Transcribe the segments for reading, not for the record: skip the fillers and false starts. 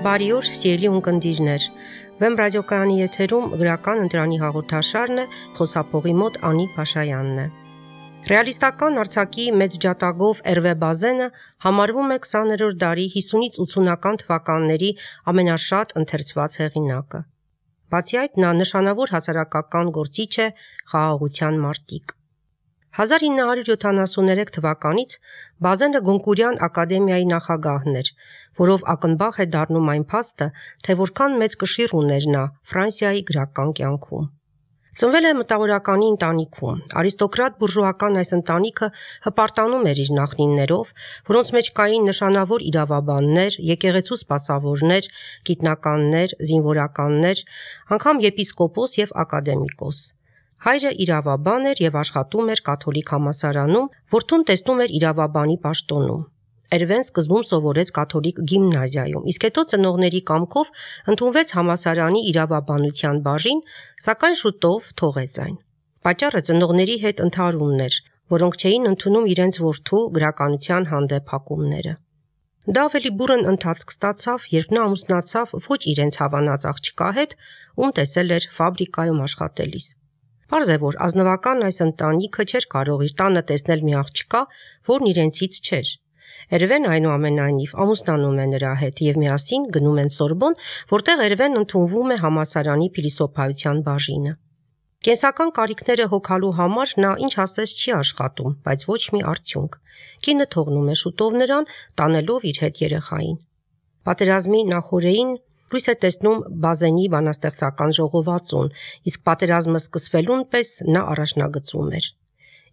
Բարի օր, սիրելի ունկնդիրներ։ Վեմ ռադիոկայանի եթերում գրական ընտրանի հաղորդաշարն է, խոսափողի մոտ Անի Փաշայանն է։ Ռեալիստական արձակի մեծ ջատագով Էրվե Բազենը համարվում է 20-րդ դարի 50-ից 80-ական թվականների ամենաշատ ընթերցված հեղինակը։ Բացի այդ, նա նշանավոր հասարակական գործիչ է, խաղաղության մարտիկ։ 1973 թվականից Բազենը Գոնկուրյան ակադեմիայի նախագահն էր, որով ակնբախ է դառնում այն փաստը, թե որքան մեծ կշիռ ուներ նա Ֆրանսիայի գրական կյանքում։ Ծնվել է մտավորականի ընտանիքում։ Արիստոկրատ բուրժուական այս ընտանիքը հպարտանում էր իր նախնիներով, որոնց մեջ կային նշանավոր իրավաբաններ, եկեղեցու սպասավորներ, գիտնականներ, զինվորականներ, անգամ եպիսկոպոս եւ ակադեմիկոս։ Հայրը իրավաբան էր եւ աշխատում էր կաթոլիկ համալսարանում, որդուն տեսնում էր իրավաբանի պաշտոնում։ Էրվեն սկզբում սովորեց կաթոլիկ գիմնազիայում, իսկ հետո ծնողների կամքով ընդունվեց համալսարանի իրավաբանության բաժին, սակայն շուտով թողեց այն։ Պատճառը ծնողների հետ ընդհարումն էր, որոնք չէին ընդունում իրենց որդու գրականության հանդեպ հակումները։ Դա ավելի բուռն ընթացք ստացավ, երբ նա ամուսնացավ ոչ իրենց հավանած աղջկա հետ, ում տեսել էր ֆաբրիկայում աշխատելիս։ Պարզ է, որ ազնվական այս ընտանիքը չէր կարող իր տանը տեսնել մի աղջկա, որն իրենցից չէր։ Էրվեն այնուամենայնիվ ամուսնանում է նրա հետ եւ միասին գնում են Սորբոն, որտեղ Էրվեն ընդունվում է համալսարանի փիլիսոփայության բաժինը։ Կենսական կարիքները հոգալու համար նա ինչ ասես չի աշխատում, բայց ոչ մի արդյունք։ Կինը թողնում է շուտով նրան, տանելով իր հետ երեխային։ Պատերազմի նախօրեին լույս է տեսնում Բազենի բանաստեղծական ժողովածուն, իսկ պատերազմը սկսվելուն պես նա առաջնագծում էր։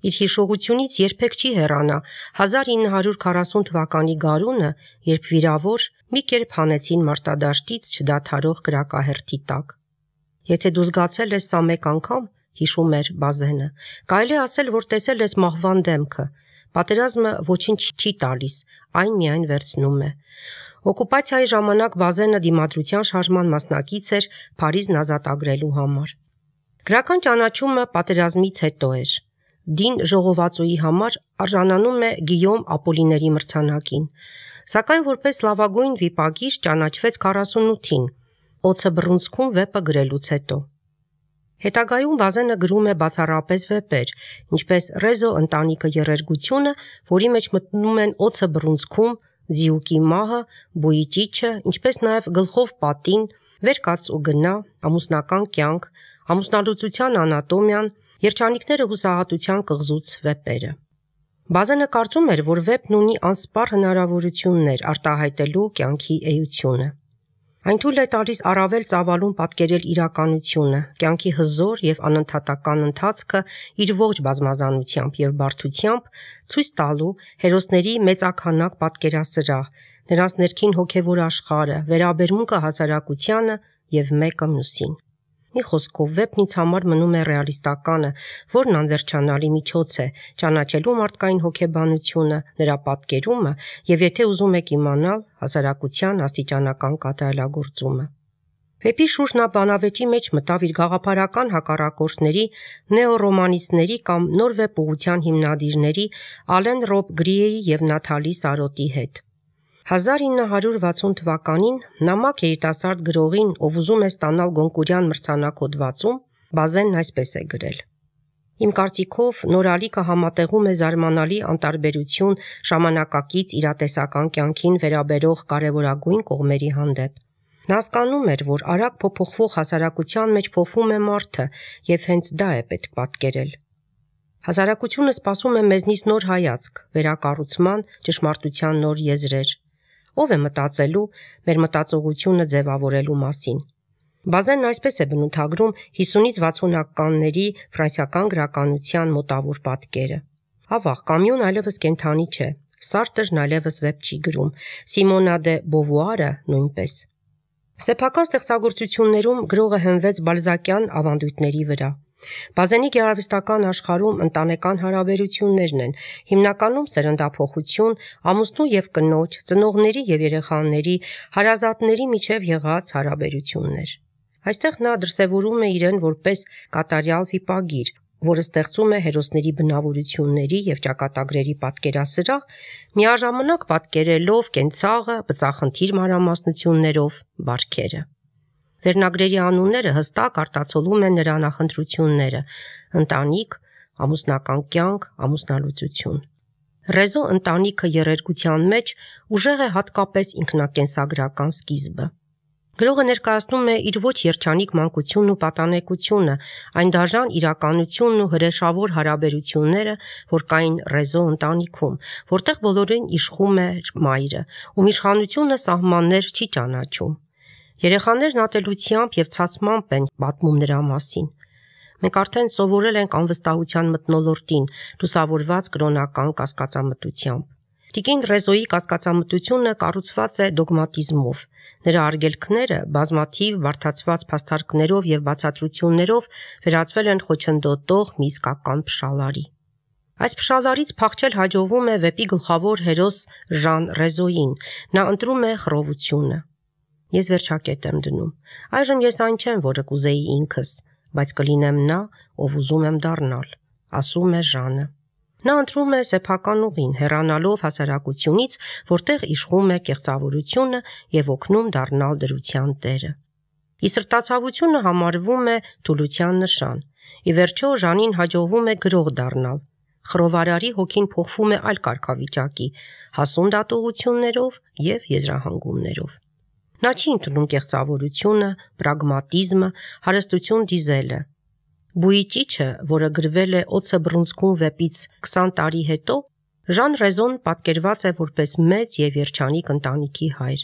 Իր հիշողությունից երբեք չի հեռանա 1940 թվականի գարունը, երբ վիրավոր մի կերպ հանեցին մարտադաշտից չդադարող կրակահերթի տակ։ Եթե դու զգացել ես սա մեկ անգամ, հիշում էր Բազենը, կարելի ասել, որ տեսել ես մահվան դեմքը։ Պատերազմը ոչինչ չի տալիս, այն միայն վերցնում է։ Օկուպացիայի ժամանակ Բազենը դիմադրության շարժման մասնակից էր Փարիզն ազատագրելու համար։ Գրական ճանաչումը պատերազմից հետո էր։ Դին ժողովածուի համար արժանանում է Գիյոմ Ապոլիների մրցանակին, սակայն որպես լավագույն վիպագիր ճանաչվեց 48-ին, Օձը բռունցքում վեպը գրելուց հետո։ Հետագայում Բազենը գրում է բացառապես վեպեր, ինչպես Ռեզո ընտանիքը երերգությունը, որի մեջ մտնում են Օձը բռունցքում, Ձիուկի մահը, Բույի ճիչը, ինչպես նաև Գլխով պատին, Վեր կաց ու գնա, Ամուսնական կյանք, Ամուսնալուծության անատոմիան, Երջանիկները հուսահատության կղզուց վեպերը։ Բազենը կարծում էր, որ վեպն ունի անսպառ հնարավորություններ արտահայտելու կյանքի էությունը։ Այն թույլ է տալիս առավել ծավալուն պատկերել իրականությունը, կյանքի հզոր եւ անընդհատական ընթացքը իր ողջ բազմազանությամբ եւ բարդությամբ, ցույց տալու հերոսների մեծաքանակ պատկերասրահ, նրանց ներքին հոգեվոր աշխարհը, վերաբերմունքը հասարակությանը եւ մեկը մյուսին։ Մի խոսքով վեպն ինձ համար մնում է ռեալիստականը, որն անվերջանալի միջոց է ճանաչելու մարդկային հոգեբանությունը, նրա պատկերումը եւ եթե ուզում եք իմանալ հասարակության աստիճանական կատարելագործումը։ Վեպի շուրջ նա բանավեճի մեջ մտավ իր գաղափարական հակառակորդների, նեոռոմանիստների կամ նոր վեպ ուղղության հիմնադիրների Ալեն Ռոբ Գրիեի եւ Նաթալի Սարոտի հետ։ 1960 թվականին նամակ երիտասարդ գրողին, ով ուզում է ստանալ Գոնկուրյան մրցանակ հոդվածում, Բազենն այսպես է գրել. Իմ կարծիքով նորալիքը համատեղում է զարմանալի անտարբերություն ժամանակակից իրատեսական կյանքին վերաբերող կարևորագույն կողմերի հանդեպ։ Նա հասկանում էր, որ արագ փոփոխվող հասարակության մեջ փոխվում է մարդը եւ հենց դա է պետք պատկերել։ Հասարակությունը սպասում է մեզնից նոր հայացք, վերակառուցման, ճշմարտության նոր եզրեր։ Ով է մտածելու մեր մտածողությունը ձևավորելու մասին։ Բազենն այսպես է բնութագրում 50-ից 60-ականների ֆրանսիական գրականության մոտավոր պատկերը։ Ավաղ, Կամյուն այլևս կենդանի չէ, Սարտրն այլևս վեպ չի գրում, Սիմոնա դե Բովուարը նույնպես։ Սեփական ստեղծագործություններում գրողը հենվեց բալզակյան ավանդույթների վրա։ Բազենի գեղարվեստական աշխարհում ընտանեկան հարաբերություններն են, հիմնականում սերնդափոխություն, ամուսնու եւ կնոջ, ծնողների եւ երեխաների, հարազատների միջև եղած հարաբերություններ։ Այստեղ նա դրսևորում է իրեն որպես կատարյալ վիպագիր, որը ստեղծում է հերոսների բնավորությունների եւ ճակատագրերի պատկերասրահ, միաժամանակ պատկերելով կենցաղը, բծախնդիր մանրամասնություններով բարքերը։ Վերնագրերի անունները հստակ արտացոլում են նրա նախընտրությունները՝ ընտանիք, ամուսնական կյանք, ամուսնալուծություն։ Ռեզո ընտանիքը երերգության մեջ ուժեղ է հատկապես ինքնակենսագրական սկիզբը։ Գրողը ներկայացնում է իր ոչ երջանիկ մանկությունն ու պատանեկությունը, այն դաժան իրականությունն ու հրեշավոր հարաբերությունները, որ կային Ռեզո ընտանիքում, որտեղ բոլորին իշխում էր մայրը, ում իշխանությունը սահմաններ չի ճանաչում։ Երեխաներն ատելությամբ եւ ցածմամբ են պատմում նրա մասին։ Մենք արդեն սովորել ենք անվստահության մթնոլորտին, լուսավորված կրոնական կասկածամտությամբ։ Տիկին Ռեզոյի կասկածամտությունը կառուցված է դոգմատիզմով։ Նրա արգելքները բազմաթիվ բարդացված փաստարկներով եւ բացատրություններով վերածվել են խոչընդոտող մի իսկական փշալարի։ Այս փշալարից փախչել հաջողվում է վեպի գլխավոր հերոս Ժան Ռեզոյին։ Նա ընտրում է խռովությունը։ Ես վերջակետ եմ դնում։ Այժմ ես այն չեմ, որը կուզեի ինքս, բայց կլինեմ նա, ով ուզում եմ դառնալ, ասում է Ժանը։ Նա ընտրում է սեփական ուղին, հեռանալով հասարակությունից, որտեղ իշխում է կեղծավորությունը եւ օգնում դառնալ դրության տերը։ Ի սրտացավությունը համարվում է թուլության նշան։ Ի վերջո Ժանին հաջողվում է գրող դառնալ։ Խռովարարի հոգին փոխվում է այլ կարգավիճակի, հասուն դատողություններով եւ եզրահանգումներով։ Նա չի ընդունում կեղծավորությունը, պրագմատիզմը, հարստություն դիզելը։ Բուի ճիչը, որը գրվել է Օձը բռունցքում վեպից 20 տարի հետո, Ժան Ռեզոն պատկերված է որպես մեծ եւ երջանիկ ընտանիքի հայր։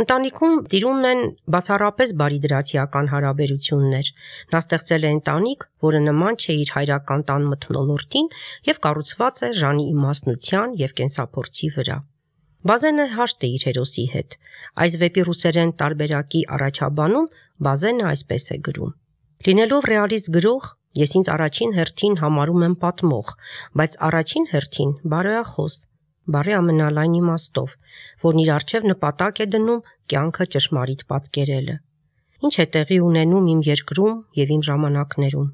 Ընտանիքում տիրում են բացառապես բարիդրացիական հարաբերություններ։ Նա ստեղծել է ընտանիք, որը նման չէ իր հայրական տան մթնոլորտին եւ կառուցված է Ժանի իմաստնության եւ կենսափորձի վրա։ Բազենը հաշտ է իր հերոսի հետ։ Այս վեպի ռուսերեն տարբերակի առաջաբանում Բազենը այսպես է գրում. Լինելով ռեալիստ գրող, ես ինձ առաջին հերթին համարում եմ պատմող, բայց առաջին հերթին բարոյախոս, բարի ամենալայն իմաստով, որն իր առջև նպատակ է դնում կյանքը ճշմարիտ պատկերելը։ Ինչ է տեղի ունենում իմ երկրում եւ իմ ժամանակներում։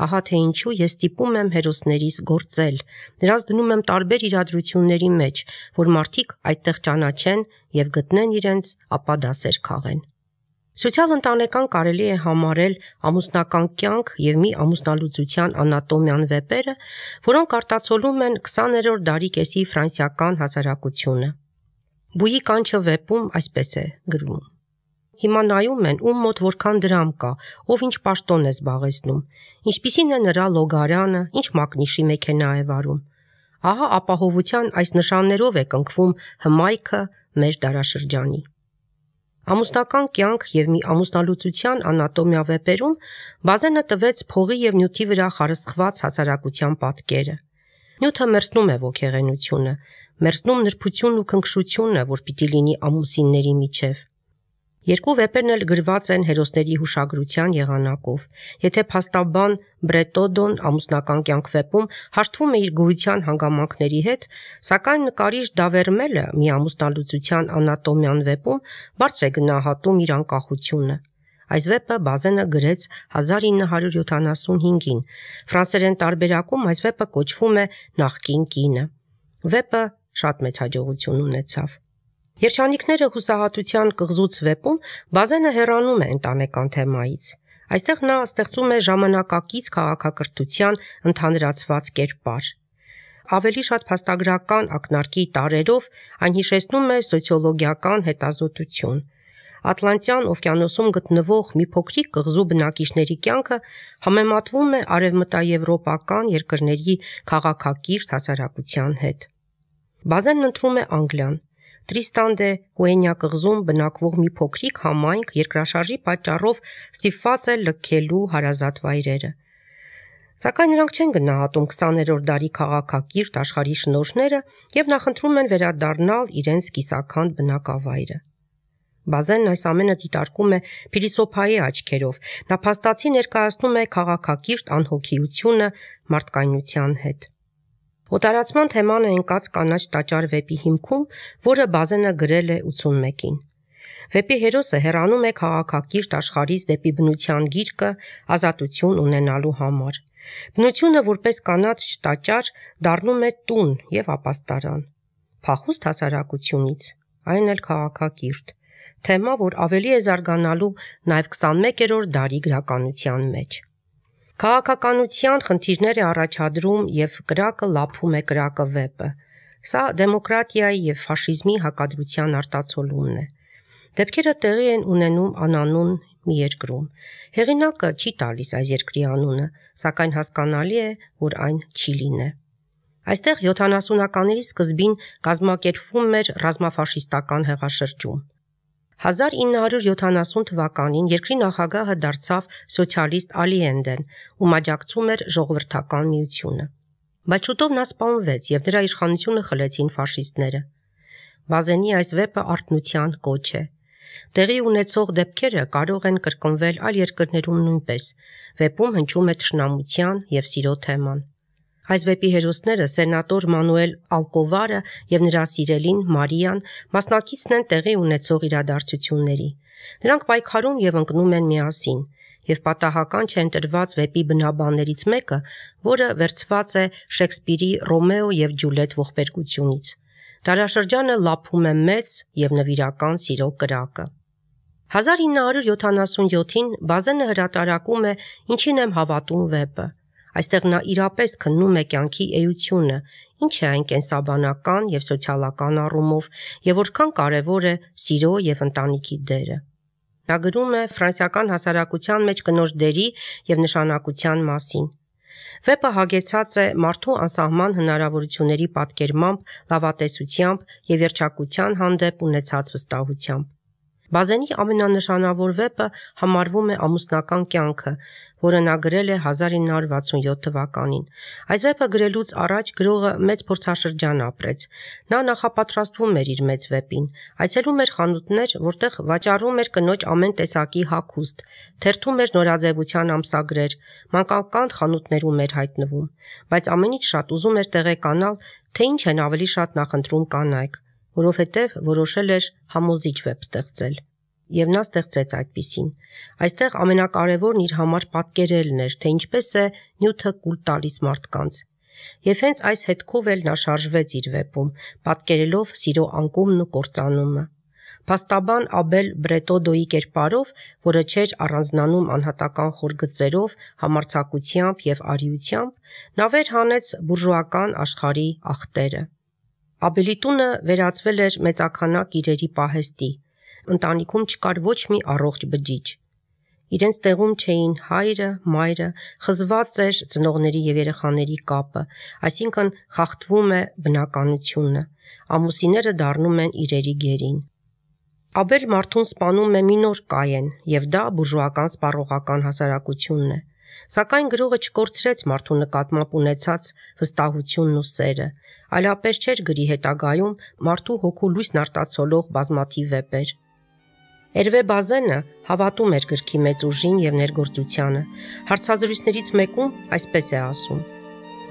Ահա թե ինչու ես ստիպում եմ հերոսներիս գործել, նրանց դնում եմ տարբեր իրադրությունների մեջ, որ մարդիկ այդտեղ ճանաչեն եւ գտնեն իրենց, ապա դասեր քաղեն։ Սոցիալ-ընտանեկան կարելի է համարել ամուսնական կյանք եւ մի ամուսնալուծության անատոմիան վեպերը, որոնք արտացոլում են 20-րդ դարի կեսի ֆրանսիական հասարակությունը։ Բուի կանչը վեպում այսպես է գրվում. Հիմա նայում են, ում մոտ որքան դրամ կա, ով ինչ պաշտոն է զբաղեցնում, ինչպիսին է նրա լոգարանը, ինչ մակնիշի մեքենա է վարում։ Ահա ապահովության այս նշաններով է կնքվում հմայքը մեր դարաշրջանի։ Ամուսնական կյանք եւ մի ամուսնալուծության անատոմիա վեպերում Բազենը տվեց փողի եւ նյութի վրա խարսխված հասարակության պատկերը։ Նյութը մերձնում է ոգեղենությունը, մերձնում նրբությունն ու քնքշությունը, որ պիտի լինի ամուսինների միջև։ Երկու վեպերն էլ գրված են հերոսների հուշագրության եղանակով։ Եթե փաստաբան Բրետոդոն ամուսնական կյանք վեպում հաշտվում է իր գոյության հանգամանքների հետ, սակայն նկարիչ Դավերմելը մի ամուսնալուծության անատոմիան վեպում բարձր է գնահատում իր անկախությունը։ Այս վեպը Բազենը գրեց 1975-ին։ Ֆրանսերեն տարբերակում այս վեպը կոչվում է Նախկին կինը։ Վեպը շատ մեծ հաջողություն ունեցավ։ Երջանիկները հուսահատության կղզուց վեպում Բազենը հեռանում է ընտանեկան թեմայից։ Այստեղ նա ստեղծում է ժամանակակից քաղաքակրթության ընդհանրացված կերպար։ Ավելի շատ փաստագրական ակնարկի տարրերով այն հիշեցնում է սոցիոլոգիական հետազոտություն։ Ատլանտյան օվկիանոսում գտնվող մի փոքրիկ կղզու բնակիչների կյանքը համեմատվում է արևմտաեվրոպական երկրների քաղաքակիրթ հասարակության հետ։ Բազենն ընտրում է Անգլիան։ Տրիստան դե Կուենյա կղզում բնակվող մի փոքրիկ համայնք երկրաշարժի պատճառով ստիպված է լքելու հարազատ վայրերը։ Սակայն նրանք չեն գնահատում 20-րդ դարի քաղաքակիրթ աշխարհի շնորհները եւ նախընտրում են վերադառնալ իրենց կիսաքանդ բնակավայրը։ Բազենն այս ամենը դիտարկում է փիլիսոփայի աչքերով։ Նա փաստացի ներկայացնում է քաղաքակիրթ անհոգիությունը մարդկայնության հետ։ Օտարացման թեման է ընկած կանաչ տաճար վեպի հիմքում, որը Բազենը գրել է 81-ին։ Վեպի հերոսը հեռանում է քաղաքակիրթ աշխարհից դեպի բնության գիրկը ազատություն ունենալու համար։ Բնությունը որպես կանաչ տաճար դառնում է տուն եւ ապաստարան։ Փախուստ հասարակությունից, այն էլ քաղաքակիրթ, թեմա, որ ավելի է զարգանալու նաեւ 21-րդ դարի գրականության մեջ։ Քաղաքականության խնդիրներ է առաջադրում եւ կրակը լափում է կրակը վեպը։ Սա դեմոկրատիայի եւ ֆաշիզմի հակադրության արտացոլումն է։ Դեպքերը տեղի են ունենում անանուն մի երկրում։ Հեղինակը չի տալիս այս երկրի անունը, սակայն հասկանալի է, որ այն Չիլին է։ Այստեղ 70-ականների սկզբին կազմակերպվում էր ռազմաֆաշիստական հեղաշրջում։ 1970 թվականին երկրի նախագահը դարձավ սոցիալիստ Ալիենդեն, ում աջակցում էր ժողովրդական միությունը։ Բայց շուտով նա սպանվեց եւ նրա իշխանությունը խլեցին ֆաշիստները։ Բազենի այս վեպը արթնության կոչ է։ Տեղի ունեցող դեպքերը կարող են կրկնվել այլ երկրներում նույնպես։ Վեպում հնչում է թշնամության եւ սիրո թեման։ Այս վեպի հերոսները սենատոր Մանուել Ալկովարը եւ նրա սիրելին Մարիան մասնակիցն են տեղի ունեցող իրադարձությունների։ Նրանք պայքարում եւ ընկնում են միասին, եւ պատահական չեն տրված վեպի բնաբաններից մեկը, որը վերցված է Շեքսպիրի Ռոմեո եւ Ջուլիետ ողբերգությունից։ Դարաշրջանը լափում է մեծ եւ նվիրական սիրո կրակը։ 1977-ին Բազենը հրատարակում է «Ինչին եմ հավատում» վեպը։ Այստեղ նա իրապես քննում է կյանքի էությունը, ինչ է այն կենսաբանական եւ սոցիալական առումով, եւ որքան կարեւոր է սիրո եւ ընտանիքի դերը։ Նա գրում է ֆրանսիական հասարակության մեջ կնոջ դերի եւ նշանակության մասին։ Վեպը հագեցած է մարդու անսահման հնարավորությունների պատկերմամբ, լավատեսությամբ եւ երջանկության հանդեպ ունեցած վստահությամբ։ Բազենի ամենանշանավոր վեպը համարվում է «Ամուսնական կյանքը», որը նա գրել է 1967 թվականին։ Այս վեպը գրելուց առաջ գրողը մեծ փորձաշրջան ապրեց։ Նա նախապատրաստվում էր իր մեծ վեպին, այցելում էր խանութներ, որտեղ վաճառում էր կնոջ ամեն տեսակի հագուստ, թերթում էր նորաձևության ամսագրեր, մանկական խանութներում էր հայտնվում, բայց ամենից շատ ուզում էր տեղեկանալ, թե ինչ են ավելի շատ նախընտրում կանայք, որովհետև որոշել էր համոզիչ վեպ ստեղծել։ Եվ նա ստեղծեց այդպիսին։ Այստեղ ամենակարևորն իր համար պատկերելն էր, թե ինչպես է նյութը կուլ տալիս մարդկանց։ Եվ հենց այս հետքով էլ նա շարժվեց իր վեպում, պատկերելով սիրո անկումն ու կործանումը։ Փաստաբան Աբել Բրետոդոյի կերպարով, որը չէր առանձնանում անհատական խոր գծերով, համարձակությամբ եւ արիությամբ, նա վեր հանեց բուրժուական աշխարհի ախտերը։ Աբելի տունը վերածվել էր մեծաքանակ իրերի պահեստի։ Ընտանիքում չկար ոչ մի առողջ բջիջ։ Իրենց տեղում չէին հայրը, մայրը, խզված էր ծնողների եւ երեխաների կապը, այսինքն խախտվում է բնականությունը, ամուսինները դառնում են իրերի գերին։ Աբել մարդուն սպանում է մի նոր Կայեն, եւ դա բուրժուական սպառողական հասարակությունն է։ Սակայն գրողը չկորցրեց մարդու նկատմամբ ունեցած վստահությունն ու սերը, այլապես չէր գրի հետագայում մարդու հոգու լույսն արտացոլող բազմաթիվ վեպեր։ Էրվե Բազենը հավատում էր գրքի մեծ ուժին եւ ներգործությանը։ Հարցազրույցներից մեկում այսպես է ասում.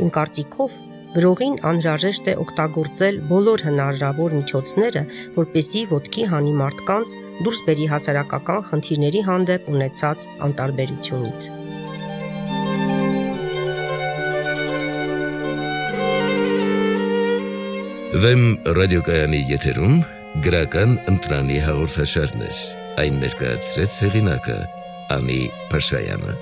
«Իմ կարծիքով գրողին անհրաժեշտ է օգտագործել բոլոր հնարավոր միջոցները, որպեսզի ոտքի հանի մարդկանց դուրս բերի հասարակական խնդիրների հանդեպ ունեցած անտարբերությունից»։ Վեմ ռադիոկայանի եթերում գրական ընտրանի հաղորդաշարներ։ Այն ներկայացրեց հեղինակը Անի Փաշայանը։